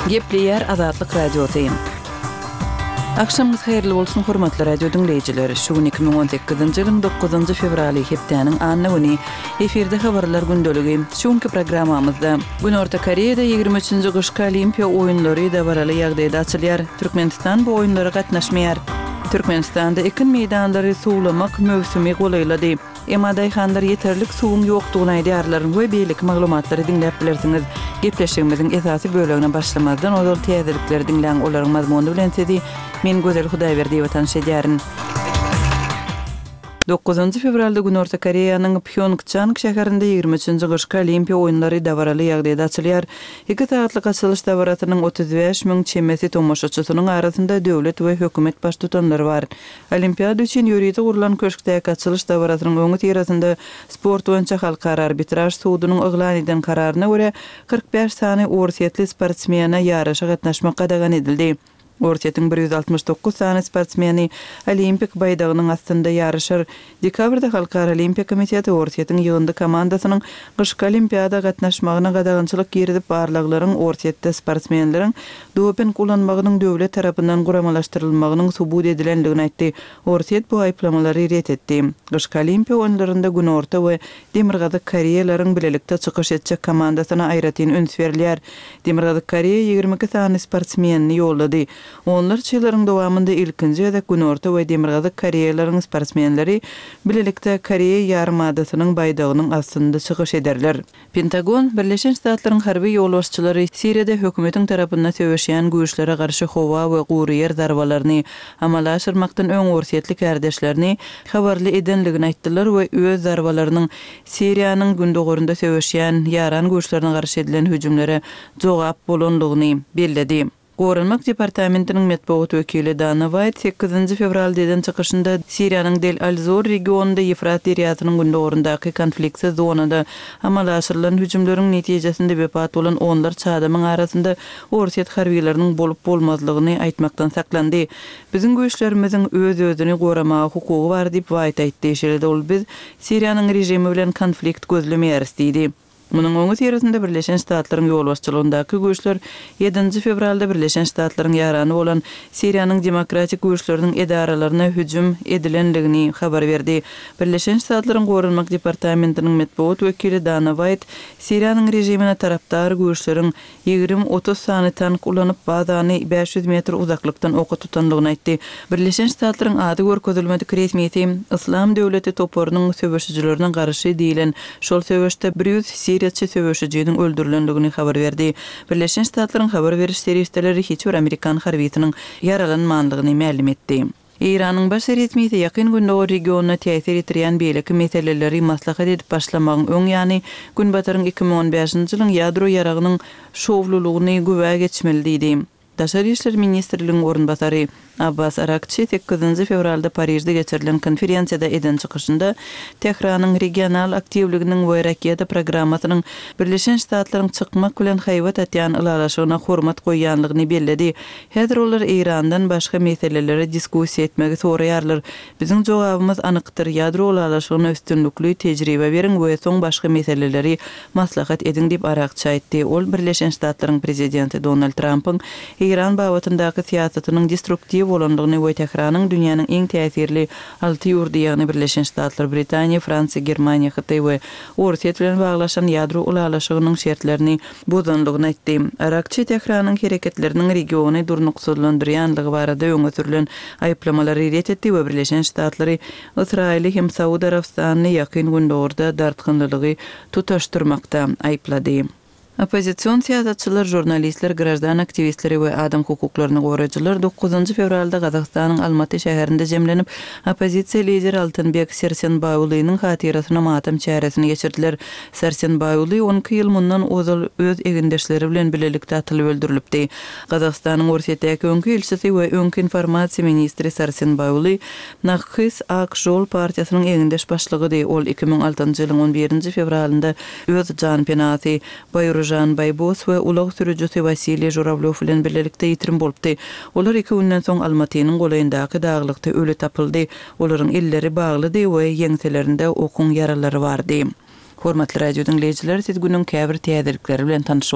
Gepleýär Azatlyk Radiosy. Agşamyňyz haýyrly bolsun, hormatly radio diňleýjiler! Şu gün 2018-nji ýylyň dokuzynjy fewraly, hepdäniň anna güni. Efirde Habarlar gündeligi. Şu günki programmamyzda, Günorta Koreýada ýigrimi üçünji gyşky Olimpiýa oýunlary dabaraly ýagdaýda açylýar. Türkmenistan bu oýunlara gatnaşmaýar. Türkmenistanda ekin meýdanlary suwlamak möwsümi golaýlady. Emma daýhanlar ýeterlik suwuň ýokdugyny aýdýarlar we beýleki maglumatlary diňläp bilersiňiz. Gepleşigimiziň esasy bölegine başlamazdan ozal täzelikleri diňläň, olaryň mazmuny bilen sizi men Gözel Hudaýberdiýewa tanyş edýärin. Dokuzynjy fewralda Günorta Koreýanyň Pýongçang şäherinde ýigrimi üçünji gyşky Olimpiýa oýunlary dabaraly ýagdaýda açylýar. Iki sagatlyk açylyş dabarasynyň 35 000 çemesi tomaşaçysynyň arasynda döwlet we hökümet baştutanlary bar. Olimpiada üçin ýörite gurlan köşkdäki açylyş dabarasynyň öňüsyrasynda sport boýunça Halkara arbitraž sudunyň yglan eden kararyna görä, 45 sany orsýetli sportsmene ýaryşa gatnaşmak gadagan edildi. Orsýetiň 169 sany sportsmeni olimpik baýdagynyň astynda ýaryşar. Dekabrda Halkara Olimpiýa komiteti Orsýetiň ýygyndy komandasynyň gyşky Olimpiada gatnaşmagyna gadagançylyk girizip, barlaglaryň Orsýetde sportsmenleriň doping ulanmagynyň döwlet tarapyndan guramalaşdyrylmagynyň subut edilendigini aýtdy. Orsýet bu aýyplamalary ret etdi. Gyşky Olimpiýa oýunlarynda Günorta we Demirgazyk Koreýalaryň bilelikde çykyş etjek komandasyna aýratyn üns berilýär. Demirgazyk Koreýa 22 sany sportsmenini ýollady. Onlarça ýyllaryň dowamynda ilkinji gezek Günorta we Demirgazyk Koreýalaryň sportsmenleri bilelikde Koreýa ýarymadasynyň baýdagynyň astynda çykyş ederler. Pentagon, Birleşen Ştatlaryň harby ýolbaşçylary Siriýada hökümetiň tarapynda söweşýän güýçlere garşy howa we gury ýer zarbalaryny amala aşyrmakdan öň orsýetli kärdeşlerini habarly edenligini aýtdylar we öz zarbalarynyň Siriýanyň gündogarynda söweşýän ýaran güýçlerine garşy edilen hüjümlere jogap bolanlygyny belledi. Goranmak departamentiniň metbugat wekili Dana Waýt sekizinji fewralda eden çykyşynda Siriýanyň Del-al-Zor regionynda Ýefrat derýasynyň gündogaryndaky konfliktsiz zonada amala aşyrylan hüjümleriň netijesinde wepat bolan onlarça adamyň arasynda orsýet harbylarynyň bolup-bolmazlygyny aýtmakdan saklandy. Biziň güýçlerimiziň öz-özüni goramaga hukugy bar diýip, Waýt aýtdy. Şeýle-de ol biz Siriýanyň režimi bilen konflikt gözlemeýäris diýdi. Munuň öňüsyrasynda Birleşen Ştatlaryň ýolbaşçylygyndaky güýçler ýedinji fewralda Birleşen Ştatlaryň ýarany bolan Siriýanyň demokratik güýçleriniň edaralaryna hüjüm edilendigini habar berdi. Birleşen Ştatlaryň Goranmak departamentiniň metbugat wekili Dana Waýt Siriýanyň režimine tarapdar güýçleriň 20-30 sany tank ulanyp, bazany 500 metr uzaklykdan oka tutandygyny aýtdy. Birleşen Ştatlaryň ady görkezilmedik resmisi Yslam döwleti toparynyň söweşijilerine garşy diýlen şol söweşde 100 siriýaçy söweşijiniň öldürilendigini habar berdi. Birleşen Ştatlaryň habar beriş serişdeleri hiç bir amerikan harbysynyň ýaralanmandygyny mälim etdi. Eýranyň baş resmisi Ýakyn Gündogar regionyna täsir ýetirýän beýleki meseleleri maslahat edip başlamagyň öň ýany, Günbataryň 2015-nji ýylyň ýadro ýaragynyň şowlulygyny güwä geçmeli diýdi. Daşary işler ministrligiň orunbasary Abbas Arakçi sekizinji fewralda Parižde geçirilen konferensiýada eden çykyşynda Tähranyň regional aktiwliginiň we raketa programmasynyň Birleşen Ştatlaryň çykmak bilen haýbat atýan ylalaşygyna hormat goýýanlygyny belledi. Häzir olar Eýrandan başga meseleleri diskussiýa etmegi soraýarlar. Biziň jogabymyz anykdyr, ýadro ylalaşygyna üstünlikli tejribe beriň we soň başga meseleleri maslahat ediň diýip, Arakçi aýtdy. Ol Birleşen Ştatlaryň prezidenti Donald Trampyň Eýran babatyndaky syýasatynyň destruktiw bolandygyny we Tähranyň dünýäniň iň täsirli alty ýurdy, ýagny Birleşen Ştatlar, Britaniýa, Fransiýa, Germaniýa, Hytaý we Orsýet bilen baglaşan ýadro ylalaşygynyň şertlerini bozandygyny aýtdy. Arakçi Tähranyň hereketleriniň regiony durnuksyzlandyrýandygy barada öňe sürlen aýyplamalary ret etdi we Birleşen Ştatlary, Ysraýyly hem Saud Arabystanyny Ýakyn Gündogarda dartgynlylygy tutaşdyrmakda aýyplady. Oppozision syýasatçylar, žurnalistler, graždan aktiwistleri we adam hukuklaryny goraýjylar dokuzynjy fewralda Gazagystanyň Almaty şäherinde jemlenip, oppozisiýa lideri Altynbek Sersenbaýulynyň hatyrasyna matam çäresini geçirdiler. Sarsenbaýuly 12 ýyl mundan ozal öz egindeşleri bilen bilelikde atylyp öldürilipdi. Gazagystanyň Orsýetdäki öňki ilçisi we öňki informasiýa ministri Sarsenbaýuly Nakhys Ak Žol partiýasynyň egindeş başlygydy. Ol 2006-njy ýylyň on birinji fewralynda öz janpenasy Baýružan Baýbos we ulag sürüjisi Wasiliý Žurawlýow bilen birlelikde ýitirim bolupdy. Olar iki günden soň Almatynyň golaýyndaky daglykda öli tapyldy. Olaryň elleri baglydy we ýeňselerinde okuň ýaralary bardy. Hormatly radio diňleýjiler, siz günüň käbir täzelikleri bilen tanyş.